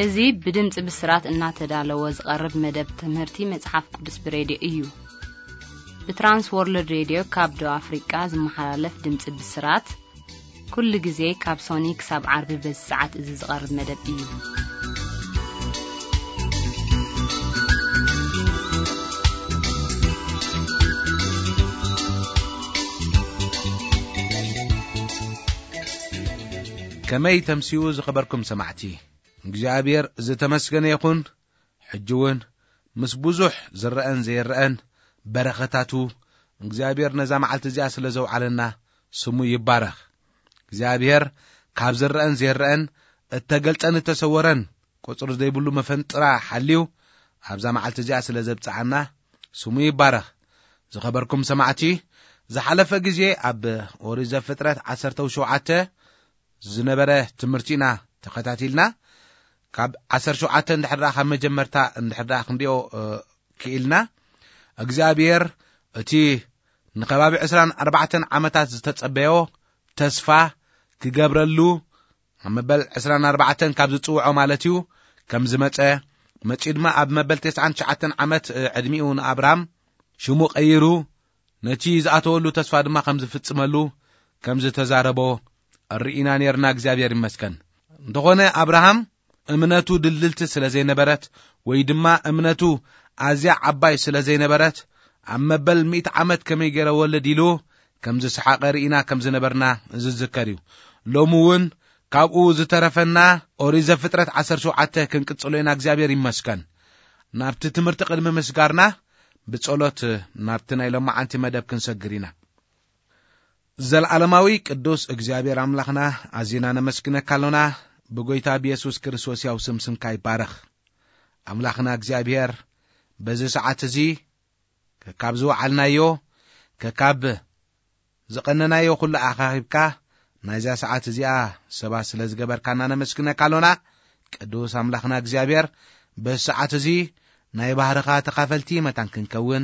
እዚ ብድምፂ ብስራት እናተዳለወ ዝቐርብ መደብ ትምህርቲ መጽሓፍ ቅዱስ ብሬድዮ እዩ። ብትራንስ ወርልድ ሬድዮ ካብ ደቡብ ኣፍሪቃ ዝመሓላለፍ ድምፂ ብስራት፣ ኩሉ ግዜ ካብ ሶኒ ክሳብ ዓርቢ በዚ ሰዓት እዚ ዝቐርብ መደብ እዩ። ከመይ ተምስዩ ዝኸበርኩም ሰማዕቲ? እግዚኣብሔር ዝተመስገነ ይኹን። ሕጂ እውን ምስ ብዙሕ ዝረአን ዘይረአን በረኸታቱ እግዚኣብሔር ነዛ መዓልቲ እዚኣ ስለ ዘውዓለና ስሙ ይባረኽ። እግዚኣብሔር ካብ ዝረአን ዘይረአን እተገልጸን እተሰወረን ቁጽሪ ዘይብሉ መፈንጥራ ሓልዩ ኣብዛ መዓልቲ እዚኣ ስለ ዘብጽዓና ስሙ ይባረኽ። ዝኸበርኩም ሰማዕቲ፣ ዝሓለፈ ግዜ ኣብ ኦሪት ዘፍጥረት ዓሰርተ ሸውዓተ ዝነበረ ትምህርቲ ኢና ተኸታቲልና። ካብ ዓሰርተ ሸውዓተ እንድሕር ደኣ ካብ መጀመርታ እንድሕር ደኣ ክንሪኦ፣ እ፣ ክኢልና፣ እግዚኣብሔር እቲ ንከባቢ ዕስራን ኣርባዕተን ዓመታት ዝተጸበዮ ተስፋ ክገብረሉ፣ ኣብ መበል ዕስራን ኣርባዕተን ካብ ዝጽውዖ ማለት እዩ፣ ከም ዝመጸ፣ መጺኡ ድማ ኣብ መበል ተስዓን ትሽዓተን ዓመት፣ እ፣ ዕድሚኡ ንኣብራም ሽሙ ቀይሩ፣ ነቲ ዝኣተወሉ ተስፋ ድማ ከም ዝፍጽመሉ ከም ዝተዛረቦ ርኢና ኔርና። እግዚኣብሔር ይመስገን። እንተኾነ ኣብርሃም እምነቱ ድልድልቲ ስለ ዘይነበረት ወይ ድማ እምነቱ ኣዝያ ዓባይ ስለ ዘይነበረት ኣብ መበል ሚእቲ ዓመት ከመይ ገይረ ወልድ ኢሉ ከም ዝሰሓቐ ርኢና ከም ዝነበርና ዝዝከር እዩ። ሎሚ እውን ካብኡ ዝተረፈና ኦሪት ዘፍጥረት ዓሰርተ ሸውዓተ ክንቅጽሎ ኢና። እግዚኣብሔር ይመስገን። ናብቲ ትምህርቲ ቅድሚ ምስጋርና ብጸሎት ናብቲ ናይ ሎማዓንቲ መደብ ክንሰግር ኢና። ዘልዓለማዊ ቅዱስ እግዚኣብሔር ኣምላኽና፣ ኣዚና ነመስግነካ ኣሎና። ብጎይታ ብየሱስ ክርስቶስ ያው ስም ስምካ ይባረኽ። ኣምላኽና እግዚኣብሔር፣ በዚ ሰዓት እዚ ከካብ ዝወዓልናዮ፣ ከካብ ዝቐነናዮ ኩሉ ኣኻኺብካ፣ ናይዛ ሰዓት እዚኣ ሰባት ስለ ዝገበርካና ነመስግነካ ኣሎና። ቅዱስ ኣምላኽና እግዚኣብሔር፣ በዚ ሰዓት እዚ ናይ ባህርኻ ተኻፈልቲ መታን ክንከውን፣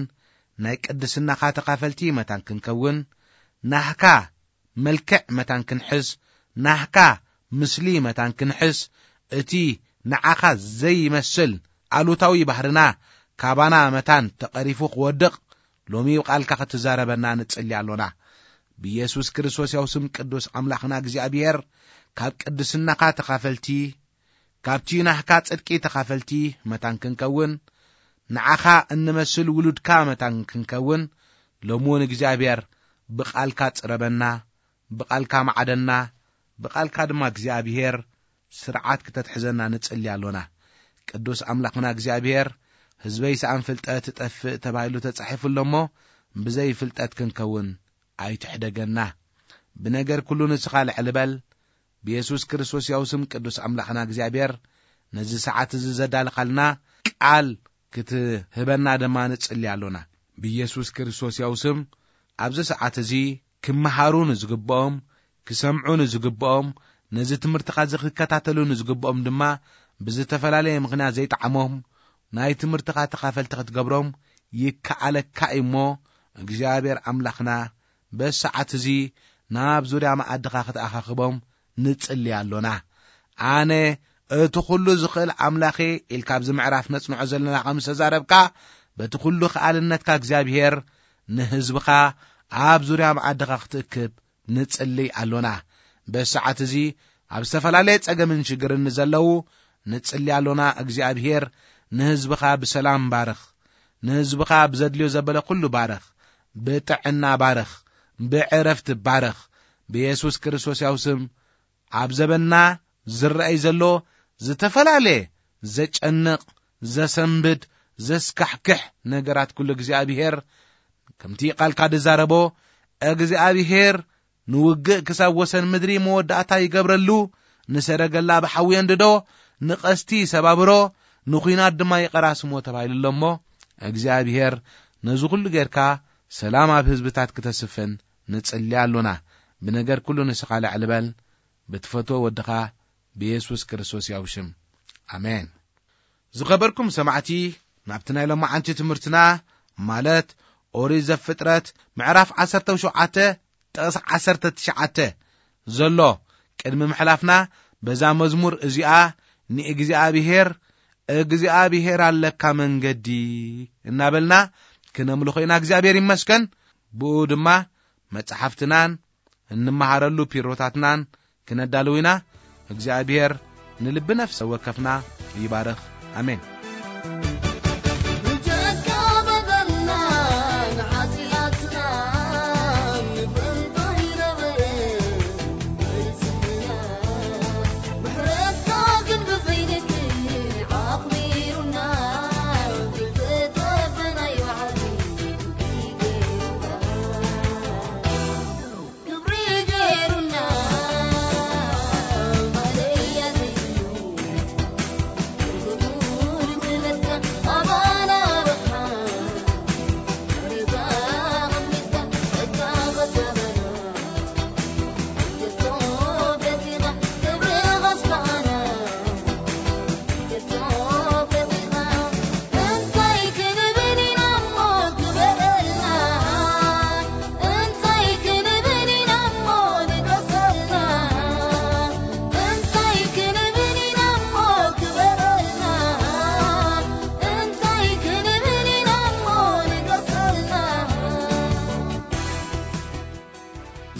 ናይ ቅድስናኻ ተኻፈልቲ መታን ክንከውን፣ ናህካ መልክዕ መታን ክንሕዝ፣ ናህካ ምስሊ መታን ክንሕዝ፣ እቲ ንዓኻ ዘይመስል ኣሉታዊ ባህርና ካባና መታን ተቐሪፉ ክወድቕ፣ ሎሚ ብቃልካ ክትዛረበና ንጽሊ ኣሎና። ብየሱስ ክርስቶስ ያው ስም ቅዱስ ኣምላኽና እግዚኣብሔር፣ ካብ ቅድስናኻ ተኻፈልቲ፣ ካብቲ ናህካ ጽድቂ ተኻፈልቲ መታን ክንከውን፣ ንዓኻ እንመስል ውሉድካ መታን ክንከውን፣ ሎሚ እውን እግዚኣብሔር ብቃልካ ጽረበና፣ ብቃልካ ማዕደና፣ ብቃልካ ድማ እግዚኣብሔር ስርዓት ክተትሕዘና ንጽሊ ኣሎና። ቅዱስ ኣምላኽና እግዚኣብሔር፣ ህዝበይ ሰኣን ፍልጠት እጠፍእ ተባሂሉ ተጻሒፉ ኣሎ እሞ፣ ብዘይ ፍልጠት ክንከውን ኣይትሕደገና። ብነገር ኩሉ ንስኻ ልዕሊ በል። ብየሱስ ክርስቶስ ያው ስም ቅዱስ ኣምላኽና እግዚኣብሔር፣ ነዚ ሰዓት እዚ ዘዳልኻልና ቃል ክትህበና ድማ ንጽሊ ኣሎና። ብየሱስ ክርስቶስ ያው ስም ኣብዚ ሰዓት እዚ ክመሃሩ ንዝግብኦም፣ ክሰምዑ ንዝግብኦም፣ ነዚ ትምህርትኻ እዚ ክከታተሉ ንዝግብኦም ድማ ብዝተፈላለየ ምኽንያት ዘይጠዓሞም ናይ ትምህርትኻ ተኻፈልቲ ክትገብሮም ይከኣለካ እዩ እሞ፣ እግዚኣብሔር ኣምላኽና በዚ ሰዓት እዚ ናብ ዙርያ መኣድኻ ክትኣኻኽቦም ንጽሊ ኣሎና። ኣነ እቲ ኩሉ ዝኽእል ኣምላኽ እየ ኢልካ ኣብዚ ምዕራፍ ነጽንዖ ዘለና ከም ዝተዛረብካ፣ በቲ ኩሉ ከኣልነትካ እግዚኣብሔር ንህዝብኻ ኣብ ዙርያ መኣድኻ ክትእክብ ንጽሊ ኣሎና። በዚ ሰዓት እዚ ኣብ ዝተፈላለየ ጸገምን ሽግርን ንዘለዉ ንጽሊ ኣሎና። እግዚኣብሔር ንህዝብኻ ብሰላም ባርኽ፣ ንህዝብኻ ብዘድልዮ ዘበለ ኩሉ ባርኽ፣ ብጥዕና ባርኽ፣ ብዕረፍቲ ባርኽ። ብየሱስ ክርስቶስ ያው ስም ኣብ ዘበንና ዝረኣይ ዘሎ ዝተፈላለየ ዘጨንቕ፣ ዘሰንብድ፣ ዘስካሕክሕ ነገራት ኩሉ እግዚኣብሔር ከምቲ ቃልካ ዝዛረቦ፣ እግዚኣብሔር ንውግእ ክሳብ ወሰን ምድሪ መወዳእታ ይገብረሉ፣ ንሰረገላ ብሓዊ የንድዶ፣ ንቐስቲ ሰባብሮ፣ ንኹናት ድማ ይቐራስሞ ተባሂሉ ኣሎ እሞ፣ እግዚኣብሔር ነዚ ኩሉ ጌርካ ሰላም ኣብ ህዝብታት ክተስፍን ንጽሊ ኣሎና። ብነገር ኩሉ ንስኻ ልዕሊ በል፣ ብትፈትዎ ወድኻ ብየሱስ ክርስቶስ ያው ሽም። ኣሜን። ዝኸበርኩም ሰማዕቲ፣ ናብቲ ናይ ሎማዓንቲ ትምህርትና፣ ማለት ኦሪት ዘፍጥረት ምዕራፍ ዓሰርተ ሸውዓተ ጥቕሲ ዓሰርተ ትሽዓተ ዘሎ ቅድሚ ምሕላፍና፣ በዛ መዝሙር እዚኣ ንእግዚኣብሔር፣ እግዚኣብሔር ኣለካ መንገዲ እናበልና ክነምልኾ ኢና። እግዚኣብሔር ይመስገን። ብኡ ድማ መጻሕፍትናን እንመሃረሉ ፒሮታትናን ክነዳልው ኢና። እግዚኣብሔር ንልቢ ነፍሰ ወከፍና ይባርኽ። ኣሜን። ብጀካ በደልና ንሓጢኣትና ንፍንቶ ይነበረ።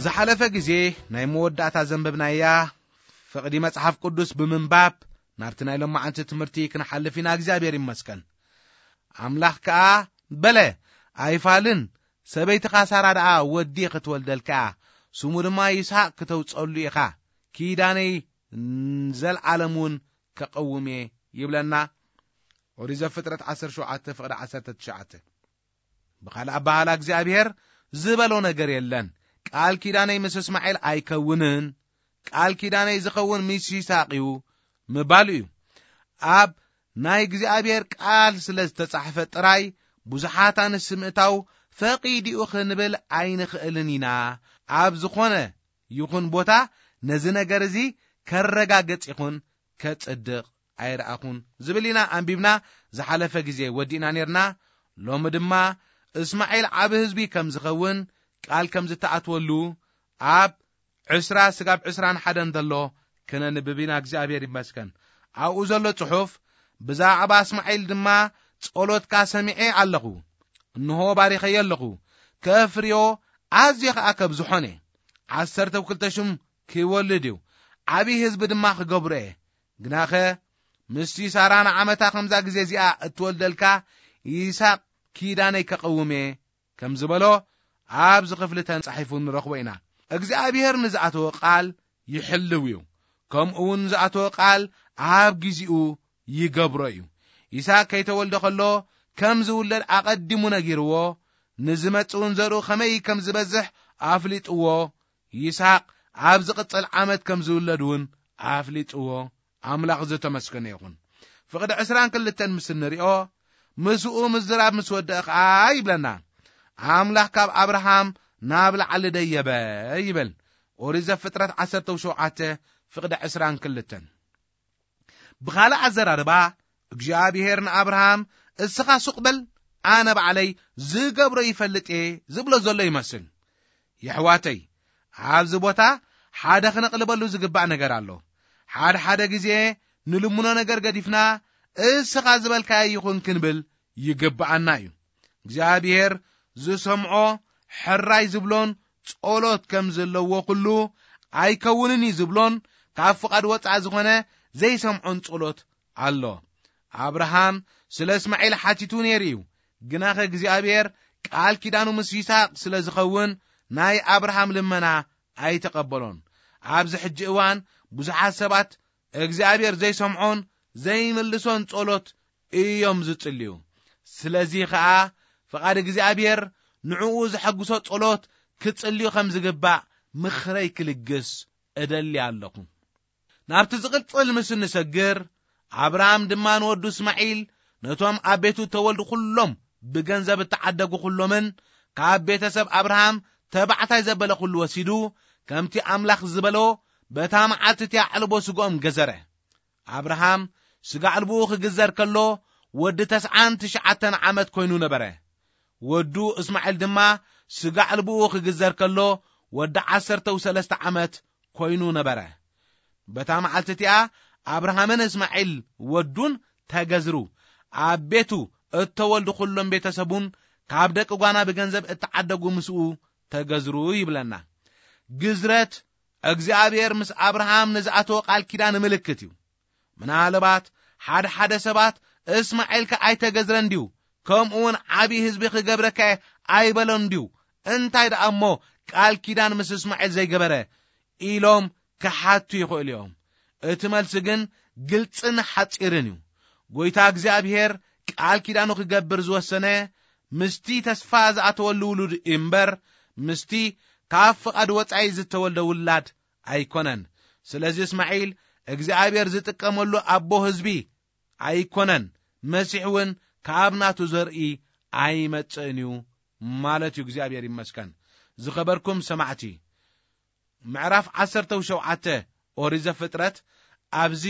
ዝሓለፈ ግዜ ናይ መወዳእታ ዘንበብናያ ፍቕዲ መጽሓፍ ቅዱስ ብምንባብ ናብቲ ናይ ሎማዓንቲ ትምህርቲ ክንሓልፍ ኢና። እግዚኣብሔር ይመስገን። ኣምላኽ ከኣ በለ፣ ኣይፋልን፣ ሰበይትኻ ሳራ ደኣ ወዲ ክትወልደልካ እያ፣ ስሙ ድማ ይስሐቅ ክተውጸሉ ኢኻ፣ ኪዳነይ ንዘልዓለም እውን ከቐውም እየ ይብለና። ኦሪት ዘፍጥረት ዓሰርተ ሸውዓተ ፍቕዲ ዓሰርተ ትሽዓተ። ብኻልእ ኣባህላ እግዚኣብሔር ዝበሎ ነገር የለን። ቃል ኪዳነይ ምስ እስማኤል ኣይከውንን፣ ቃል ኪዳነይ ዝኸውን ምስ ይስሐቅ እዩ ምባሉ እዩ። ኣብ ናይ እግዚኣብሔር ቃል ስለ ዝተጻሕፈ ጥራይ ብዙሓት ኣንስቲ ምእታው ፈቒድኡ ክንብል ኣይንኽእልን ኢና። ኣብ ዝኾነ ይኹን ቦታ ነዚ ነገር እዚ ከረጋገጽ ይኹን ከጽድቕ ኣይረኣኹን ዝብል ኢና ኣንቢብና ዝሓለፈ ግዜ ወዲእና ኔርና። ሎሚ ድማ እስማኤል ዓቢ ህዝቢ ከም ዝኸውን ቃል ከም ዝተኣትወሉ ኣብ ዕስራ ስጋብ ዕስራን ሓደን ዘሎ ክነንብብ ኢና። እግዚኣብሔር ይመስገን። ኣብኡ ዘሎ ጽሑፍ፣ ብዛዕባ እስማኤል ድማ ጸሎትካ ሰሚዐ ኣለኹ፣ እንሆ ባሪኸዮ ኣለኹ፣ ከፍርዮ ኣዝየ ኸኣ ከብዝሖን እየ። ዓሰርተ ክልተ ሽም ክወልድ እዩ፣ ዓብዪ ህዝቢ ድማ ክገብሮ እየ። ግናኸ ምስቲ ሳራ ንዓመታ ከምዛ ግዜ እዚኣ እትወልደልካ ይስሐቅ ኪዳነይ ከቐውም እየ ከም ዝበሎ ኣብዚ ክፍሊ ተጻሒፉ ንረኽቦ ኢና። እግዚኣብሔር ንዝኣተወ ቃል ይሕልው እዩ፣ ከምኡ እውን ዝኣተወ ቃል ኣብ ግዜኡ ይገብሮ እዩ። ይስሐቅ ከይተወልደ ከሎ ከም ዝውለድ ኣቐዲሙ ነጊርዎ፣ ንዝመጽእ እውን ዘርኡ ከመይ ከም ዝበዝሕ ኣፍሊጥዎ። ይስሐቅ ኣብ ዝቕጽል ዓመት ከም ዝውለድ እውን ኣፍሊጥዎ። ኣምላኽ ዝተመስገነ ይኹን። ፍቕዲ ዕስራን ክልተን ምስ እንሪኦ፣ ምስኡ ምዝራብ ምስ ወደአ ኸዓ ይብለና፣ ኣምላኽ ካብ ኣብርሃም ናብ ላዕሊ ደየበ ይብል። ኦሪት ዘፍጥረት ዓሰርተ ሸውዓተ ፍቕዲ ዕስራን ክልተን። ብኻልእ ኣዘራርባ፣ እግዚኣብሔር ንኣብርሃም፣ እስኻ ሱቕ በል፣ ኣነ ባዕለይ ዝገብሮ ይፈልጥ እየ ዝብሎ ዘሎ ይመስል። የሕዋተይ፣ ኣብዚ ቦታ ሓደ ክነቕልበሉ ዝግባእ ነገር ኣሎ። ሓደ ሓደ ግዜ ንልምኖ ነገር ገዲፍና፣ እስኻ ዝበልካዮ ይኹን ክንብል ይግብኣና እዩ። እግዚኣብሔር ዝሰምዖ ሕራይ ዝብሎን ጸሎት ከም ዘለዎ ኩሉ ኣይከውንን እዩ ዝብሎን ካብ ፍቓድ ወጻኢ ዝኾነ ዘይሰምዖን ጸሎት ኣሎ። ኣብርሃም ስለ እስማዒል ሓቲቱ ነይሩ እዩ፣ ግናኸ እግዚኣብሔር ቃል ኪዳኑ ምስ ይስሐቅ ስለ ዝኸውን ናይ ኣብርሃም ልመና ኣይተቐበሎን። ኣብዚ ሕጂ እዋን ብዙሓት ሰባት እግዚኣብሔር ዘይሰምዖን ዘይምልሶን ጸሎት እዮም ዝጽልዩ። ስለዚ ኸኣ ፍቓድ እግዚኣብሔር ንዕኡ ዘሐጉሶ ጸሎት ክጽልዩ ከም ዝግባእ ምኽረይ ክልግስ እደሊ ኣለኹ። ናብቲ ዝቕጽል ምስ እንሰግር፣ ኣብርሃም ድማ ንወዱ እስማዒል ነቶም ኣብ ቤቱ እተወልዱ ኩሎም ብገንዘብ እተዓደጉ ኩሎምን ካብ ቤተሰብ ኣብርሃም ተባዕታይ ዘበለ ኩሉ ወሲዱ፣ ከምቲ ኣምላኽ ዝበሎ በታ መዓልቲ እቲኣ ዕልቦ ስግኦም ገዘረ። ኣብርሃም ስጋ ዕልብኡ ክግዘር ከሎ ወዲ ተስዓን ትሽዓተን ዓመት ኮይኑ ነበረ። ወዱ እስማዒል ድማ ስጋ ዕልብኡ ክግዘር ከሎ ወዲ ዓሰርተ ሰለስተ ዓመት ኮይኑ ነበረ። በታ መዓልቲ እቲኣ ኣብርሃምን እስማዒል ወዱን ተገዝሩ። ኣብ ቤቱ እተወልዱ ኩሎም ቤተሰቡን ካብ ደቂ ጓና ብገንዘብ እተዓደጉ ምስኡ ተገዝሩ ይብለና። ግዝረት እግዚኣብሔር ምስ ኣብርሃም ንዝኣተወ ቃል ኪዳን ምልክት እዩ። ምናልባት ሓደ ሓደ ሰባት እስማዒልከ ኣይተገዝረን ድዩ? ከምኡ እውን ዓብዪ ህዝቢ ክገብረካ እየ ኣይበሎን ድዩ? እንታይ ደኣ እሞ ቃል ኪዳን ምስ እስማዒል ዘይገበረ? ኢሎም ክሓቱ ይኽእሉ እዮም። እቲ መልሲ ግን ግልጽን ሓጺርን እዩ። ጎይታ እግዚኣብሔር ቃል ኪዳኑ ክገብር ዝወሰነ ምስቲ ተስፋ ዝኣተወሉ ውሉድ እምበር፣ ምስቲ ካብ ፍቓድ ወጻኢ ዝተወልደ ውላድ ኣይኮነን። ስለዚ እስማዒል እግዚኣብሔር ዝጥቀመሉ ኣቦ ህዝቢ ኣይኮነን። መሲሕ እውን ካብ ናቱ ዘርኢ ኣይመጽእን እዩ ማለት እዩ። እግዚኣብሔር ይመስገን። ዝኸበርኩም ሰማዕቲ፣ ምዕራፍ ዓሰርተ ሸውዓተ ኦሪት ዘፍጥረት ኣብዚ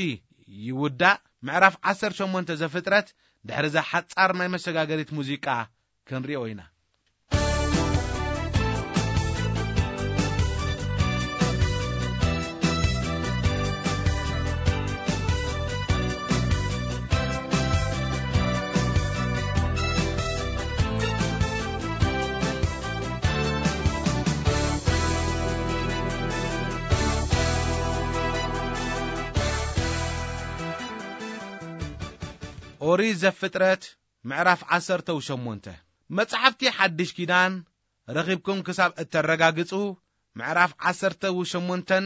ይውዳእ። ምዕራፍ ዓሰርተ ሸሞንተ ዘፍጥረት ድሕሪ እዛ ሓጻር ናይ መሰጋገሪት ሙዚቃ ክንሪኦ ኢና። ኦሪት ዘፍጥረት ምዕራፍ ዓሰርተ ሸሞንተ። መጽሓፍቲ ሓድሽ ኪዳን ረኺብኩም ክሳብ እተረጋግጹ፣ ምዕራፍ ዓሰርተ ሸሞንተን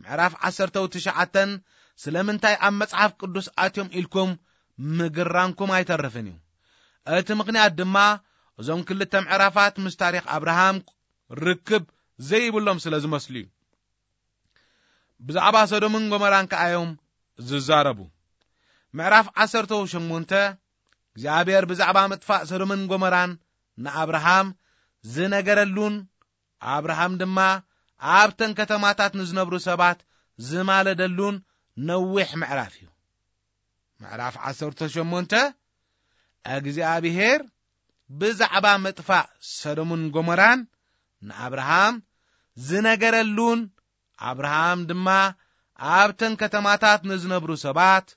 ምዕራፍ ዓሰርተ ትሽዓተን ስለምንታይ ኣብ መጽሓፍ ቅዱስ ኣትዮም ኢልኩም ምግራምኩም ኣይተርፍን እዩ። እቲ ምኽንያት ድማ እዞም ክልተ ምዕራፋት ምስ ታሪኽ ኣብርሃም ርክብ ዘይብሎም ስለ ዝመስሉ እዩ። ብዛዕባ ሰዶምን ጎመራን ከኣ እዮም ዝዛረቡ። ምዕራፍ ዓሰርተ ሸሞንተ እግዚኣብሔር ብዛዕባ ምጥፋእ ሰዶምን ጎመራን ንኣብርሃም ዝነገረሉን፣ ኣብርሃም ድማ ኣብተን ከተማታት ንዝነብሩ ሰባት ዝማለደሉን ነዊሕ ምዕራፍ እዩ። ምዕራፍ ዓሰርተ ሸሞንተ እግዚኣብሔር ብዛዕባ ምጥፋእ ሰዶምን ጎመራን ንኣብርሃም ዝነገረሉን፣ ኣብርሃም ድማ ኣብተን ከተማታት ንዝነብሩ ሰባት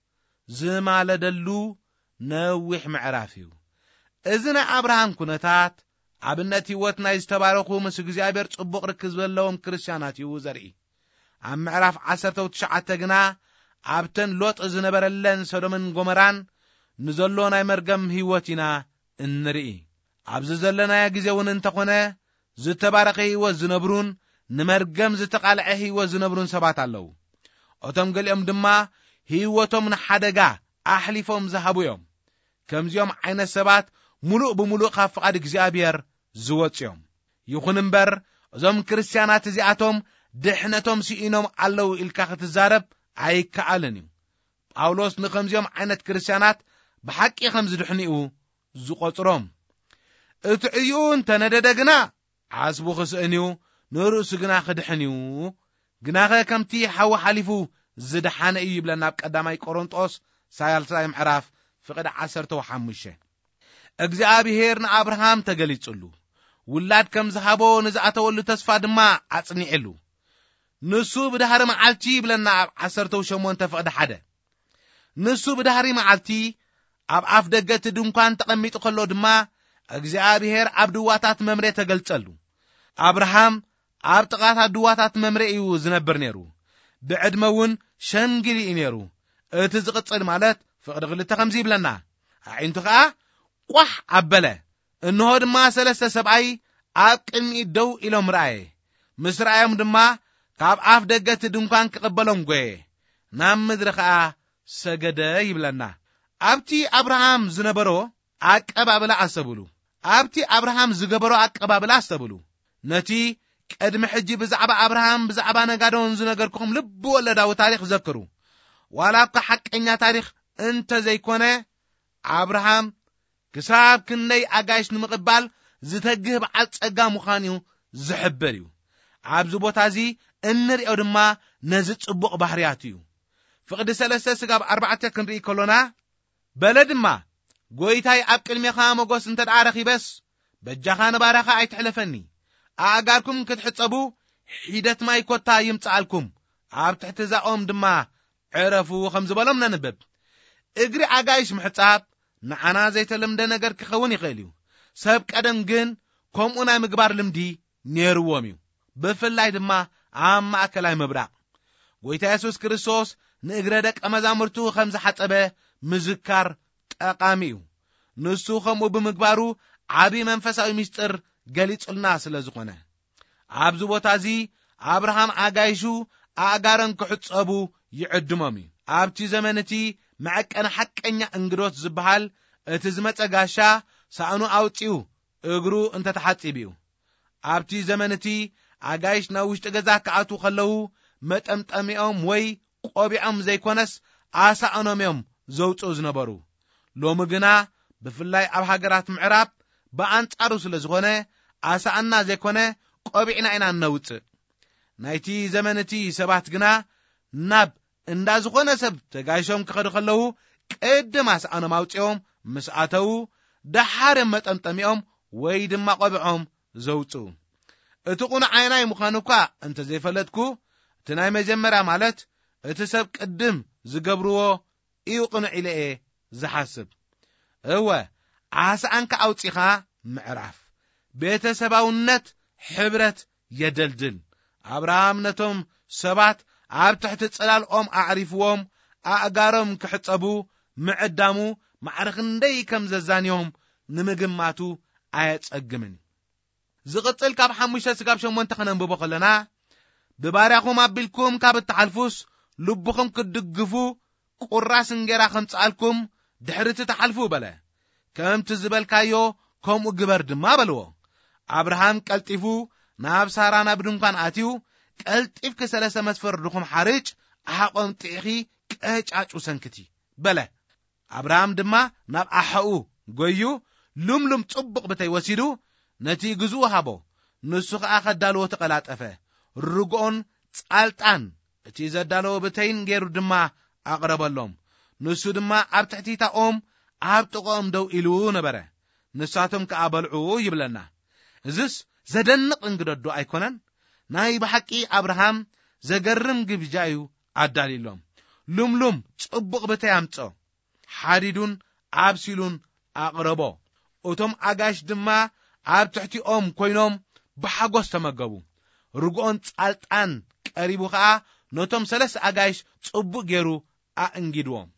ዝማለደሉ ነዊሕ ምዕራፍ እዩ። እዚ ናይ ኣብርሃም ኩነታት ኣብነት ህይወት ናይ ዝተባረኹ ምስ እግዚኣብሔር ጽቡቕ ርክብ ዘለዎም ክርስትያናት እዩ ዘርኢ። ኣብ ምዕራፍ ዓሰርተ ትሽዓተ ግና ኣብተን ሎጥ ዝነበረለን ሰዶምን ጎመራን ንዘሎ ናይ መርገም ህይወት ኢና እንርኢ። ኣብዚ ዘለናዮ ግዜ እውን እንተኾነ ዝተባረኸ ህይወት ዝነብሩን ንመርገም ዝተቓልዐ ህይወት ዝነብሩን ሰባት ኣለዉ። እቶም ገሊኦም ድማ ህይወቶም ንሓደጋ ኣሕሊፎም ዝሃቡ እዮም። ከምዚኦም ዓይነት ሰባት ምሉእ ብምሉእ ካብ ፍቓድ እግዚኣብሔር ዝወጹ እዮም። ይኹን እምበር እዞም ክርስትያናት እዚኣቶም ድሕነቶም ስኢኖም ኣለዉ ኢልካ ክትዛረብ ኣይከኣልን እዩ። ጳውሎስ ንኸምዚኦም ዓይነት ክርስትያናት ብሓቂ ከም ዝድሕኑ እዩ ዝቖጽሮም። እቲ ዕይኡ እንተነደደ ግና ዓስቡ ክስእን እዩ፣ ንርእሱ ግና ክድሕን እዩ። ግናኸ ከምቲ ሓዊ ሓሊፉ ዝደሓነ እዩ ይብለና ኣብ ቀዳማይ ቆሮንጦስ ሳልሳይ ምዕራፍ ፍቕዲ ዓሰርተ ሓሙሽተ። እግዚኣብሔር ንኣብርሃም ተገሊጹሉ፣ ውላድ ከም ዝሃቦ ንዝኣተወሉ ተስፋ ድማ ኣጽኒዕሉ። ንሱ ብድሕሪ መዓልቲ ይብለና ኣብ ዓሰርተ ሸሞንተ ፍቕዲ ሓደ። ንሱ ብድሕሪ መዓልቲ ኣብ ኣፍ ደገ እቲ ድንኳን ተቐሚጡ ከሎ ድማ እግዚኣብሔር ኣብ ድዋታት መምሬ ተገልጸሉ። ኣብርሃም ኣብ ጥቓታት ድዋታት መምሬ እዩ ዝነብር ነይሩ። ብዕድመ እውን ሸምጊል እዩ ነይሩ። እቲ ዝቕጽል ማለት ፍቕዲ ክልተ ከምዚ ይብለና፣ ኣዒንቱ ኸኣ ቋሕ ኣበለ። እንሆ ድማ ሰለስተ ሰብኣይ ኣብ ቅድሚኡ ደው ኢሎም ረኣየ። ምስ ረኣዮም ድማ ካብ ኣፍ ደገ እቲ ድንኳን ክቕበሎም ጐየ፣ ናብ ምድሪ ኸኣ ሰገደ ይብለና። ኣብቲ ኣብርሃም ዝነበሮ ኣቀባብላ ኣስተብህሉ። ኣብቲ ኣብርሃም ዝገበሮ ኣቀባብላ ኣስተብህሉ። ነቲ ቅድሚ ሕጂ ብዛዕባ ኣብርሃም፣ ብዛዕባ ነጋዶን ዝነገርኩኹም ልቢ ወለዳዊ ታሪኽ ዘክሩ። ዋላ እኳ ሓቀኛ ታሪኽ እንተ ዘይኮነ፣ ኣብርሃም ክሳብ ክንደይ ኣጋይሽ ንምቕባል ዝተግህ በዓል ጸጋ ምዃኑ ዝሕብር እዩ። ኣብዚ ቦታ እዚ እንርእዮ ድማ ነዚ ጽቡቕ ባህርያቱ እዩ። ፍቕዲ ሰለስተ ስጋብ ኣርባዕተ ክንርኢ ከሎና፣ በለ ድማ፣ "ጐይታይ ኣብ ቅድሜኻ ሞገስ እንተ ደኣ ረኺበስ፣ በጃኻ ንባርያኻ ኣይትሕለፈኒ። ኣእጋርኩም ክትሕጸቡ ሒደት ማይ ኮታ ይምጽኣልኩም፣ ኣብ ትሕቲ እዛ ኦም ድማ ዕረፉ ከም ዝበሎም ነንብብ። እግሪ ኣጋይሽ ምሕጻብ ንዓና ዘይተለምደ ነገር ክኸውን ይኽእል እዩ። ሰብ ቀደም ግን ከምኡ ናይ ምግባር ልምዲ ነይርዎም እዩ። ብፍላይ ድማ ኣብ ማእከላይ ምብራቕ። ጎይታ የሱስ ክርስቶስ ንእግረ ደቀ መዛሙርቱ ከም ዝሓጸበ ምዝካር ጠቓሚ እዩ። ንሱ ከምኡ ብምግባሩ ዓቢ መንፈሳዊ ምስጢር ገሊጹልና ስለ ዝኾነ። ኣብዚ ቦታ እዚ ኣብርሃም ኣጋይሹ ኣእጋሮም ክሕጸቡ ይዕድሞም እዩ። ኣብቲ ዘመን እቲ መዐቀኒ ሓቀኛ እንግዶት ዝበሃል እቲ ዝመጸ ጋሻ ሳእኑ ኣውጺኡ እግሩ እንተተሓጺቡ እዩ። ኣብቲ ዘመን እቲ ኣጋይሽ ናብ ውሽጢ ገዛ ክኣትዉ ከለዉ መጠምጠሚኦም ወይ ቆቢዖም ዘይኮነስ ኣሳእኖም እዮም ዘውጽኡ ዝነበሩ። ሎሚ ግና ብፍላይ ኣብ ሃገራት ምዕራብ ብኣንጻሩ ስለ ዝኾነ ኣሳእና ዘይኮነ ቆቢዕና ኢና እነውጽእ። ናይቲ ዘመን እቲ ሰባት ግና ናብ እንዳ ዝኾነ ሰብ ተጋይሾም ክኸዱ ከለዉ ቅድም ኣሳእኖም ኣውጺኦም ምስ ኣተዉ ደሓር እዮም መጠምጠሚኦም ወይ ድማ ቆቢዖም ዘውጽኡ። እቲ ቁኑዕ ኣየናይ ምዃኑ እኳ እንተ ዘይፈለጥኩ፣ እቲ ናይ መጀመርያ ማለት እቲ ሰብ ቅድም ዝገብርዎ እዩ ቅኑዕ ኢለ እየ ዝሓስብ። እወ፣ ዓሳኣንካ ኣውጺኻ ምዕራፍ። ቤተሰባውነት ሕብረት የደልድል። ኣብርሃም ነቶም ሰባት ኣብ ትሕቲ ጽላል ኦም ኣዕሪፍዎም ኣእጋሮም ክሕጸቡ ምዕዳሙ ማዕረ ክንደይ ከም ዘዛንዮም ንምግማቱ ኣየጸግምን። ዝቕጽል ካብ ሓሙሽተ ስጋብ ሸሞንተ ከነንብቦ ከለና፣ ብባርያኹም ኣቢልኩም ካብ እትሓልፉስ፣ ልብኹም ክትድግፉ ቁራስ እንጌራ ከምጽኣልኩም ድሕሪ እቲ ትሓልፉ በለ። ከምቲ ዝበልካዮ ከምኡ ግበር ድማ በልዎ። ኣብርሃም ቀልጢፉ ናብ ሳራ ናብ ድንኳን ኣትዩ፣ ቀልጢፍኪ ሰለስተ መስፈር ድኹም ሓርጭ ኣሓቆም ጥዒኺ ቀጫጩ ሰንክቲ በለ። ኣብርሃም ድማ ናብ ኣሓኡ ጎዩ፣ ሉምሉም ጽቡቕ ብተይ ወሲዱ ነቲ ግዝኡ ሃቦ። ንሱ ኸኣ ከዳልዎ ተቐላጠፈ። ርግኦን ጻልጣን እቲ ዘዳለዎ ብተይን ገይሩ ድማ ኣቕረበሎም። ንሱ ድማ ኣብ ትሕቲታ ኦም ኣብ ጥቕኦም ደው ኢሉ ነበረ። ንሳቶም ከኣ በልዑ ይብለና። እዝስ ዘደንቕ እንግደዶ ኣይኮነን? ናይ ብሓቂ ኣብርሃም ዘገርም ግብጃ እዩ ኣዳልዩሎም። ሉምሉም ጽቡቕ ብተይ ኣምጾ። ሓዲዱን ኣብሲሉን ኣቕረቦ። እቶም ኣጋይሽ ድማ ኣብ ትሕቲኦም ኮይኖም ብሓጎስ ተመገቡ። ርግኦን ጻልጣን ቀሪቡ ኸኣ ነቶም ሰለስተ ኣጋይሽ ጽቡቕ ገይሩ ኣእንጊድዎም።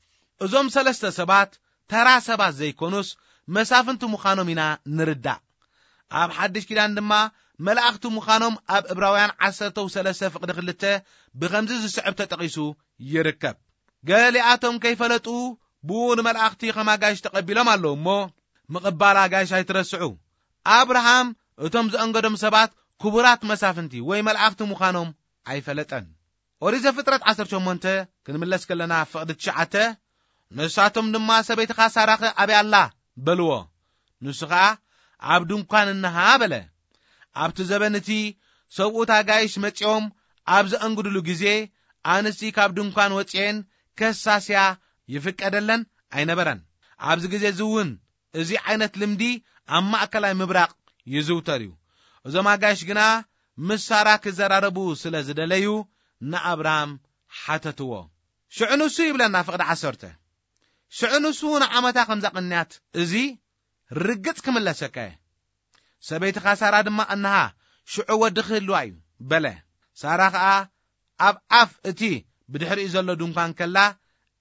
እዞም ሰለስተ ሰባት ተራ ሰባት ዘይኮኑስ መሳፍንቲ ምዃኖም ኢና ንርዳእ። ኣብ ሓድሽ ኪዳን ድማ መላእኽቲ ምዃኖም ኣብ ዕብራውያን ዓሰርተ ሰለስተ ፍቕዲ ክልተ ብኸምዚ ዝስዕብ ተጠቒሱ ይርከብ። ገሊኣቶም ከይፈለጡ ብኡ ንመላእኽቲ ከም ኣጋይሽ ተቐቢሎም ኣለዉ እሞ፣ ምቕባል ኣጋይሽ ኣይትረስዑ። ኣብርሃም እቶም ዘእንገዶም ሰባት ክቡራት መሳፍንቲ ወይ መላእኽቲ ምዃኖም ኣይፈለጠን። ኦሪት ዘፍጥረት ዓሰርተ ሸሞንተ ክንምለስ ከለና ፍቕዲ ትሽዓተ፣ ንሳቶም ድማ ሰበይትኻ ሳራኸ ኣበይ ኣላ በልዎ። ንሱ ኸኣ ኣብ ድንኳን እንሃ በለ። ኣብቲ ዘበን እቲ ሰብኡት ኣጋይሽ መጺኦም ኣብ ዘእንግድሉ ግዜ ኣንስቲ ካብ ድንኳን ወጺኤን ከሳስያ ይፍቀደለን ኣይነበረን። ኣብዚ ግዜ እዚ እውን እዚ ዓይነት ልምዲ ኣብ ማእከላይ ምብራቕ ይዝውተር እዩ። እዞም ኣጋይሽ ግና ምስ ሳራ ክዘራረቡ ስለ ዝደለዩ ንኣብርሃም ሓተትዎ። ሽዑ ንሱ ይብለና ፍቕዲ ዓሰርተ፣ ሽዑ ንሱ ንዓመታ ከም ዘቐንያት እዚ ርግጽ ክምለሰካ እየ። ሰበይትኻ ሳራ ድማ እንሃ ሽዑ ወዲ ክህልዋ እዩ በለ። ሳራ ኸኣ ኣብ ኣፍ እቲ ብድሕሪኡ ዘሎ ድንኳን ከላ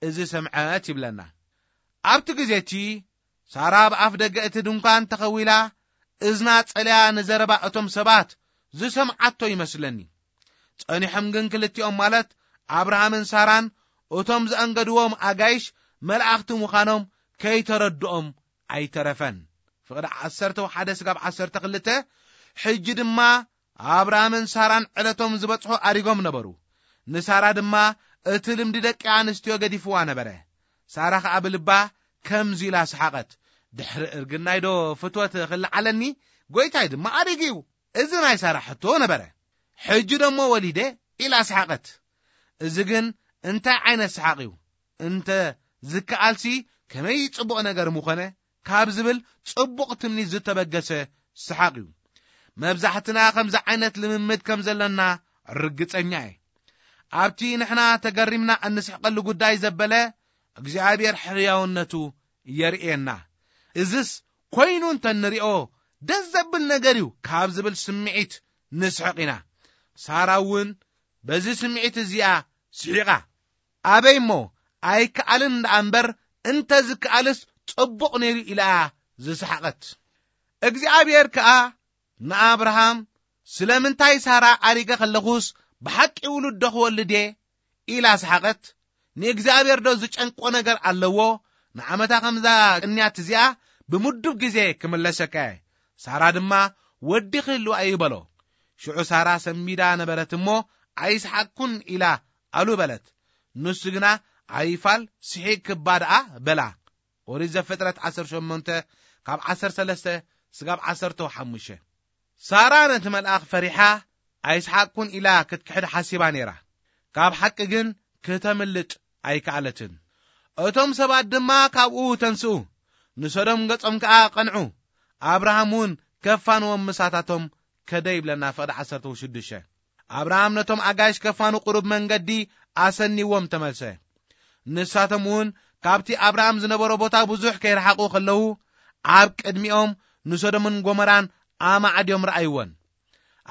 እዚ ሰምዐት ይብለና። ኣብቲ ግዜ እቲ ሳራ ኣብ ኣፍ ደገ እቲ ድንኳን ተኸዊላ እዝና ጸልያ ንዘረባ እቶም ሰባት ዝሰምዓቶ ይመስለኒ። ጸኒሖም ግን ክልቲኦም ማለት ኣብርሃምን ሳራን እቶም ዘእንገድዎም ኣጋይሽ መላእኽቲ ምዃኖም ከይተረድኦም ኣይተረፈን። ፍቕዲ ዓሰርተ ሓደ ስጋብ ዓሰርተ ክልተ። ሕጂ ድማ ኣብርሃምን ሳራን ዕለቶም ዝበጽሑ ኣሪጎም ነበሩ። ንሳራ ድማ እቲ ልምዲ ደቂ ኣንስትዮ ገዲፍዋ ነበረ። ሳራ ኸኣ ብልባ ከምዚ ኢላ ሰሓቐት፣ "ድሕሪ እርግናይ ዶ ፍትወት ክለዓለኒ? ጎይታይ ድማ ኣሪጉ እዩ። እዚ ናይ ሳራ ሕቶ ነበረ። ሕጂ ደሞ ወሊደ?" ኢላ ሰሓቐት። እዚ ግን እንታይ ዓይነት ሰሓቕ እዩ? እንተ ዝከኣልሲ ከመይ ጽቡቕ ነገር ምኾነ ካብ ዝብል ጽቡቕ ትምኒት ዝተበገሰ ሰሓቕ እዩ። መብዛሕትና ከምዚ ዓይነት ልምምድ ከም ዘለና ርግጸኛ እየ። ኣብቲ ንሕና ተገሪምና እንስሕቀሉ ጉዳይ ዘበለ እግዚኣብሔር ሕያውነቱ የርእየና። እዝስ ኮይኑ እንተንሪኦ ደስ ዘብል ነገር እዩ ካብ ዝብል ስምዒት ንስሕቕ ኢና። ሳራ እውን በዚ ስምዒት እዚኣ ስሒቓ፣ ኣበይ እሞ ኣይከኣልን ደኣ እምበር እንተ ዝከኣልስ ጽቡቕ ነይሩ ኢላ ዝሰሓቐት። እግዚኣብሔር ከኣ ንኣብርሃም፣ ስለምንታይ ሳራ ኣሪገ ከለኹስ ብሓቂ ውሉድ ዶ ክወልድ እየ? ኢላ ሰሓቐት። ንእግዚኣብሔር ዶ ዝጨንቆ ነገር ኣለዎ? ንዓመታ ከምዛ ቅንያት እዚኣ ብምዱብ ግዜ ክምለሰካ እየ። ሳራ ድማ ወዲ ክህልዋ እዩ በሎ። ሽዑ ሳራ ሰንቢዳ ነበረት እሞ ኣይስሓቅኩን ኢላ ኣሉ በለት። ንሱ ግና ኣይፋል ስሒቅ ክባ ደኣ በላ። ኦሪት ዘፍጥረት ዓሰርተ ሸሞንተ ካብ ዓሰርተ ሰለስተ ስጋብ ዓሰርተ ሓሙሽተ። ሳራ ነቲ መልኣኽ ፈሪሓ ኣይስሓቅኩን ኢላ ክትክሕድ ሓሲባ ነይራ። ካብ ሓቂ ግን ክተምልጥ ኣይከኣለትን። እቶም ሰባት ድማ ካብኡ ተንስኡ፣ ንሰዶም ገጾም ከኣ ቀንዑ። ኣብርሃም እውን ከፋንዎም ምሳታቶም ከደ ይብለና ፍቕዲ ዓሰርተ ሽዱሽተ። ኣብርሃም ነቶም ኣጋይሽ ከፋኑ ቁሩብ መንገዲ ኣሰኒዎም ተመልሰ። ንሳቶም እውን ካብቲ ኣብርሃም ዝነበሮ ቦታ ብዙሕ ከይረሓቑ ከለዉ፣ ኣብ ቅድሚኦም ንሶዶምን ጎመራን ኣማዕድዮም ረኣይወን።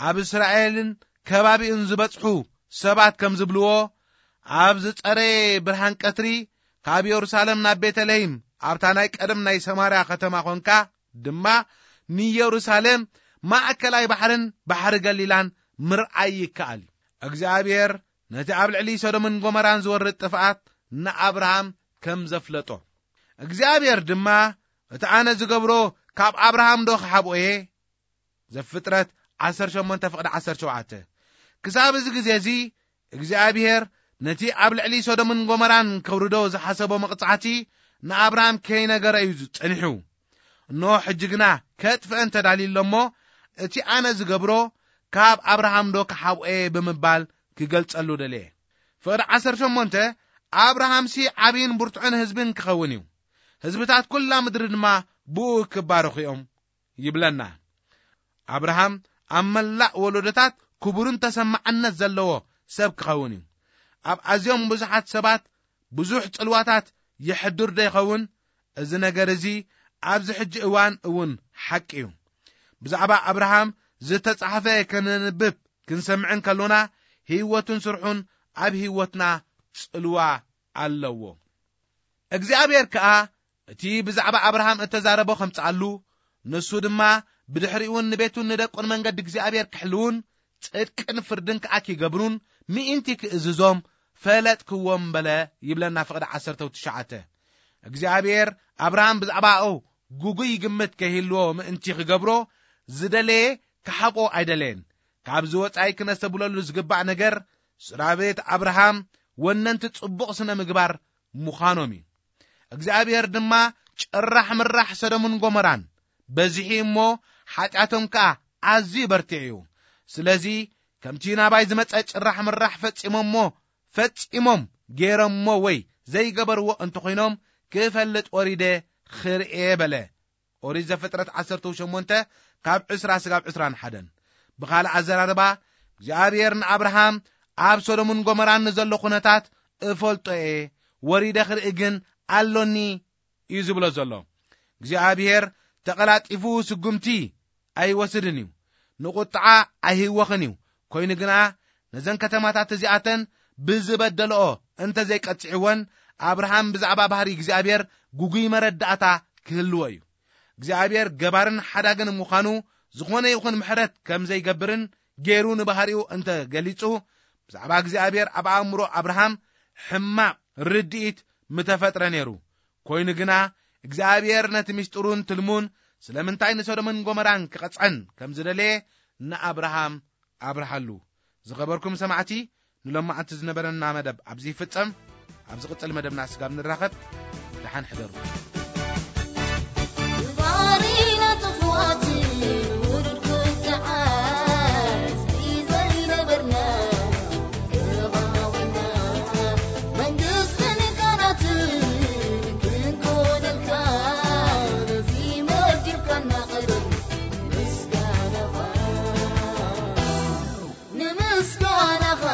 ኣብ እስራኤልን ከባቢኡን ዝበጽሑ ሰባት ከም ዝብልዎ፣ ኣብ ዝጸረየ ብርሃን ቀትሪ ካብ የሩሳሌም ናብ ቤተልሔም፣ ኣብታ ናይ ቀደም ናይ ሰማርያ ከተማ ኾንካ ድማ ንየሩሳሌም ማእከላይ ባሕርን ባሕሪ ገሊላን ምርኣይ ይከኣል እዩ። እግዚኣብሔር ነቲ ኣብ ልዕሊ ሶዶምን ጎመራን ዝወርድ ጥፍኣት ንኣብርሃም ከም ዘፍለጦ። እግዚኣብሔር ድማ፣ "እቲ ኣነ ዝገብሮ ካብ ኣብርሃም ዶ ክሓብኦ እየ?" ዘፍጥረት ዓሰርተ ሸሞንተ ፍቕዲ ዓሰርተ ሸውዓተ። ክሳብ እዚ ግዜ እዚ እግዚኣብሔር ነቲ ኣብ ልዕሊ ሶዶምን ጎመራን ከውርዶ ዝሓሰቦ መቕጻዕቲ ንኣብርሃም ከይነገረ እዩ ጸኒሑ። እንሆ ሕጂ ግና ከጥፍአን ተዳልዩ ኣሎ እሞ፣ "እቲ ኣነ ዝገብሮ ካብ ኣብርሃም ዶ ክሓብኦ እየ?" ብምባል ክገልጸሉ ደለየ። ፍቕዲ ዓሰርተ ሸሞንተ፣ ኣብርሃምሲ ዓብይን ብርቱዕን ህዝብን ክኸውን እዩ። ህዝብታት ኩላ ምድሪ ድማ ብኡ ክባረኹ እዮም ይብለና። ኣብርሃም ኣብ መላእ ወለዶታት ክቡርን ተሰማዕነት ዘለዎ ሰብ ክኸውን እዩ። ኣብ ኣዝዮም ብዙሓት ሰባት ብዙሕ ጽልዋታት የሕድር ዶ ይኸውን? እዚ ነገር እዚ ኣብዚ ሕጂ እዋን እውን ሓቂ እዩ። ብዛዕባ ኣብርሃም ዝተጻሕፈ ከነንብብ ክንሰምዕን ከሎና፣ ህይወቱን ስርሑን ኣብ ህይወትና ጽልዋ ኣለዎ። እግዚኣብሔር ከኣ እቲ ብዛዕባ ኣብርሃም እተዛረቦ ከምጽኣሉ፣ ንሱ ድማ ብድሕሪኡን ንቤቱን ንደቁን መንገዲ እግዚኣብሔር ክሕልውን፣ ጽድቅን ፍርድን ከኣ ኪገብሩን ምእንቲ ክእዝዞም ፈለጥክዎም በለ ይብለና ፍቕዲ ዓሰርተ ትሽዓተ። እግዚኣብሔር ኣብርሃም ብዛዕባኡ ግጉይ ግምት ከይህልዎ ምእንቲ ክገብሮ ዝደለየ ክሓብኦ ኣይደለየን። ካብዚ ወጻኢ ክነስተብለሉ ዝግባእ ነገር፣ ስድራ ቤት ኣብርሃም ወነንቲ ጽቡቕ ስነ ምግባር ምዃኖም እዩ። እግዚኣብሔር ድማ ጭራሕ ምራሕ ሰዶምን ጎመራን በዚሑ እሞ፣ ሓጢኣቶም ከኣ ኣዝዩ በርቲዑ እዩ። ስለዚ ከምቲ ናባይ ዝመጸ ጭራሕ ምራሕ ፈጺሞሞ፣ ፈጺሞም ገይሮሞ ወይ ዘይገበርዎ እንተኾይኖም ክፈልጥ ወሪደ ክርእየ በለ። ኦሪት ዘፍጥረት ዓሰርተ ሸሞንተ ካብ ዕስራ ስጋብ ዕስራን ሓደን። ብኻልእ ኣዘራርባ፣ እግዚኣብሔር ንኣብርሃም ኣብ ሶዶምን ጎመራን ንዘሎ ኩነታት እፈልጦ እየ፣ ወሪደ ክርኢ ግን ኣሎኒ እዩ ዝብሎ ዘሎ። እግዚኣብሔር ተቐላጢፉ ስጉምቲ ኣይወስድን እዩ፣ ንቁጥዓ ኣይህወኽን እዩ። ኮይኑ ግና ነዘን ከተማታት እዚኣተን ብዝበደልኦ እንተ ዘይቀጽዕወን፣ ኣብርሃም ብዛዕባ ባህሪ እግዚኣብሔር ግጉይ መረዳእታ ክህልዎ እዩ። እግዚኣብሔር ገባርን ሓዳግን ምዃኑ ዝኾነ ይኹን ምሕረት ከም ዘይገብርን ገይሩ ንባህሪኡ እንተ ገሊጹ፣ ብዛዕባ እግዚኣብሔር ኣብ ኣእምሮ ኣብርሃም ሕማቕ ርድኢት ምተፈጥረ ነይሩ። ኮይኑ ግና እግዚኣብሔር ነቲ ምስጢሩን ትልሙን ስለምንታይ ንሶዶምን ጎመራን ክቐጽዐን ከም ዝደለየ ንኣብርሃም ኣብርሃሉ። ዝኸበርኩም ሰማዕቲ፣ ንሎማዓንቲ ዝነበረና መደብ ኣብዚ ይፍጸም። ኣብ ዝቕጽል መደብና ስጋብ ንራኸብ፣ ደሓን ሕደሩ። ባህሪና ጥፉኣት ውርድ ክትዓት ዘይነበርና ተባዊና መንግስትን ካህናትን ክንኮነልካ ነዚ መዲብካና ቀደም ምስጋናኻ ንምስጋናኻ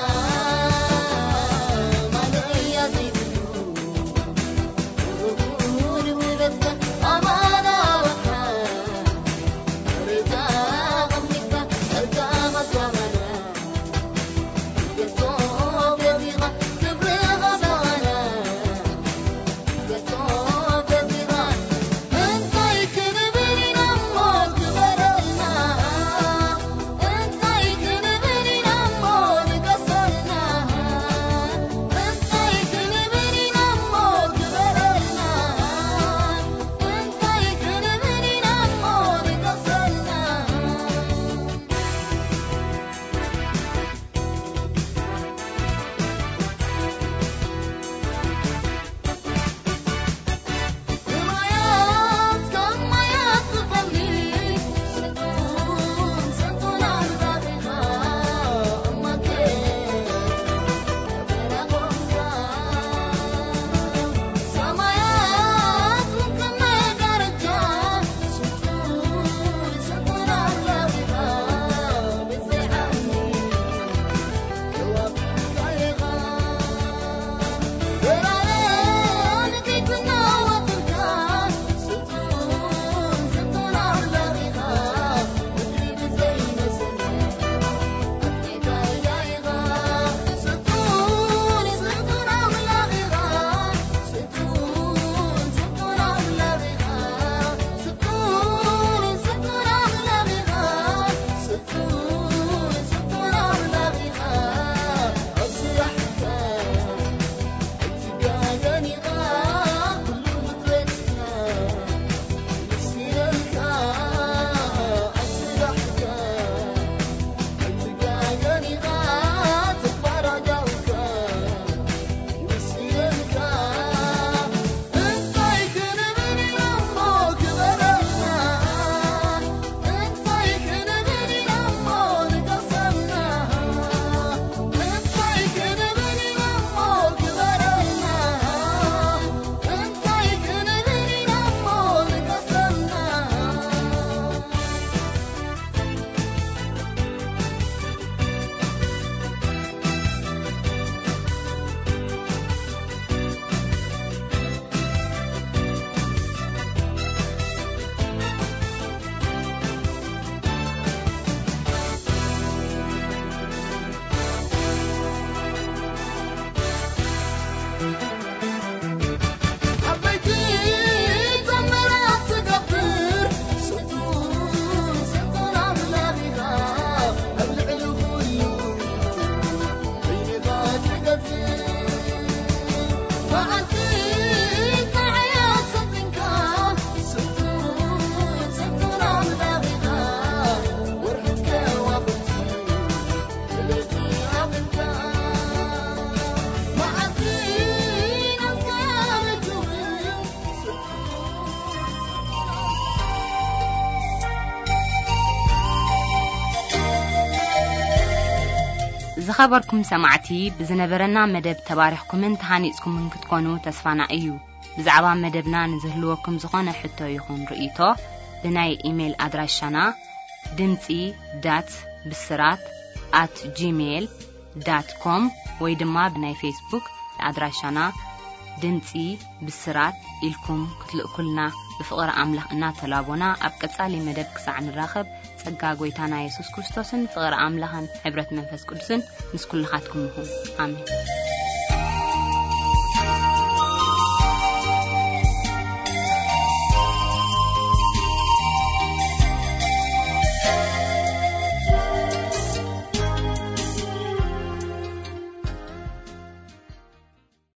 ዝኸበርኩም ሰማዕቲ፣ ብዝነበረና መደብ ተባሪኽኩምን ተሃኒጽኩምን ክትኮኑ ተስፋና እዩ። ብዛዕባ መደብና ንዝህልወኩም ዝኾነ ሕቶ ይኹን ርእይቶ፣ ብናይ ኢሜይል ኣድራሻና ድምጺ ዳት ብስራት ኣት ጂሜይል ዳት ኮም ወይ ድማ ብናይ ፌስቡክ ኣድራሻና ድምጺ ብስራት ኢልኩም ክትልእኩልና ብፍቕሪ ኣምላኽ እናተላቦና፣ ኣብ ቀጻሊ መደብ ክሳዕ ንራኸብ፣ ጸጋ ጐይታና የሱስ ክርስቶስን ፍቕሪ ኣምላኽን ሕብረት መንፈስ ቅዱስን ምስ ኩልኻትኩም ይኹን። ኣሜን።